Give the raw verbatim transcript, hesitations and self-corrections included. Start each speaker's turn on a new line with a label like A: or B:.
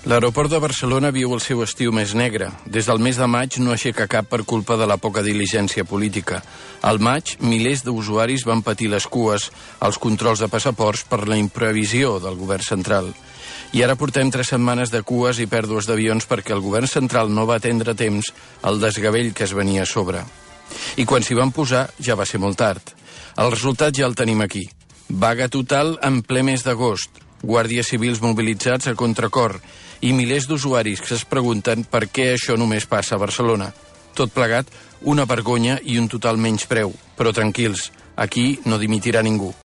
A: L'aeroport de Barcelona viu el seu estiu més negre. Des del mes de maig no aixeca cap per culpa de la poca diligència política. Al maig, milers d'usuaris van patir les cues als controls de passaports per la imprevisió del govern central. I ara portem tres setmanes de cues i pèrdues d'avions perquè el govern central no va atendre a temps el desgavell que es venia a sobre. I quan s'hi van posar ja va ser molt tard. El resultat ja el tenim aquí. Vaga total en ple mes d'agost. Guàrdies civils mobilitzats a contracor i milers d'usuaris que es pregunten per què això només passa a Barcelona. Tot plegat, una vergonya i un total menyspreu. Però tranquils, aquí no dimitirà ningú.